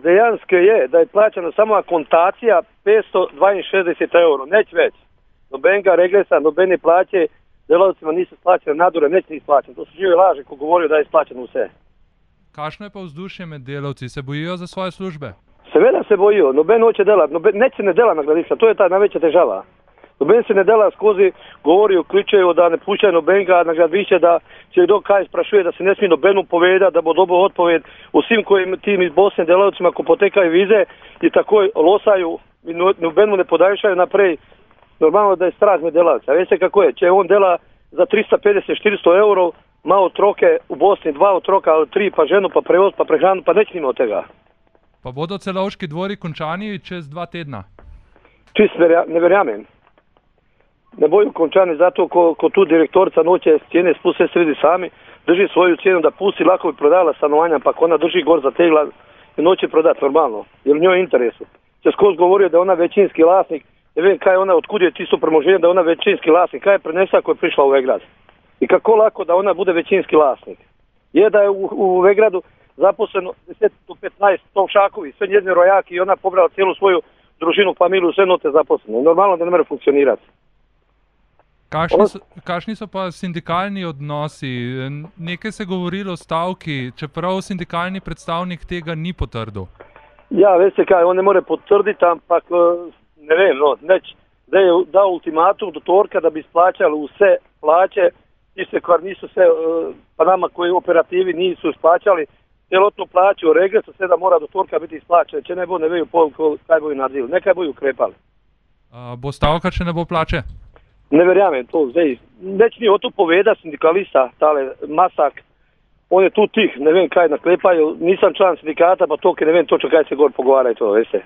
dejansko je, da je plaćana samo akontacija 562 euro, neć već. Nobenga regresa, nobene plaće, delavcima nisu splaćene nadure, neć ni isplaćene. To su žive laže ko govorio da je isplaćeno vse. Kakšno je pa vzdušje med delavci? Se bojijo za svoje službe? Seveda se bojijo, noben hoće delat, neć se ne dela na gradilišta, to je ta najveća težava. Noben se ne dela skozi, govorijo, kličejo, da ne puščajo nobenga na gradilišče, da če kdo kaj sprašuje, da se ne smije nobenu povedati, da bo dobil odpoved vsem kojim tim iz Bosne delavcima, ko potekajo vize i takoj losaju i nobenu ne podaljšajo naprej. Normalno da je strah med delavca. Veste kako je, če on dela za 350-400 evrov, ima otroke v Bosni, 2 otroka ali 3, pa ženu, pa prevoz, pa prehranu, pa neč nima od tega. Pa bodo Celovški dvori končani čez 2 tedna? Čist ne verjamem. Ne boju končani zato, ko tu direktorica noće cijene spuste se vidi sami, drži svoju cijenu da pusti, lako bi prodala stanovanja, pa ona drži gor za tegla i noće prodati normalno, jer njoj je interesu. Če skozi govorio da je ona većinski vlasnik, ne vem kaj je ona, otkud je tisto premoženje da je ona većinski vlasnik, kaj je prenesa ako je prišla u Vegrad. I kako lako da ona bude većinski vlasnik. Je da je u Vegradu zaposleno 10 do 15 tovšakovi, sve njezine rojaki i ona pobrala cijelu svoju družinu, familiju, sve note zaposlene. Normalno da ne more funkcionirati. Kakšni so pa sindikalni odnosi? Nekaj se govorilo o stavki, čeprav sindikalni predstavnik tega ni potrdil. Ja, veste kaj, on ne more potrditi, ampak ne vem, neč, da je dao ultimatum do torka da bi isplaćali vse plaće, tiste kar nisu se, pa nama koji operativi nisu isplaćali celotnu plaću, regresu sve da mora do torka biti isplaćene, če ne bo ne veju kaj boju naredili, nekaj boju ukrepali. Bo stavka, če ne bo plače? Ne verjamem to, zdaj, neč ni o to poveda sindikalista, tale Masak, on je tu tih, ne vem kaj naklepaju, nisam član sindikata, pa to, ne vem točno kaj se gor pogovaraju to, veste.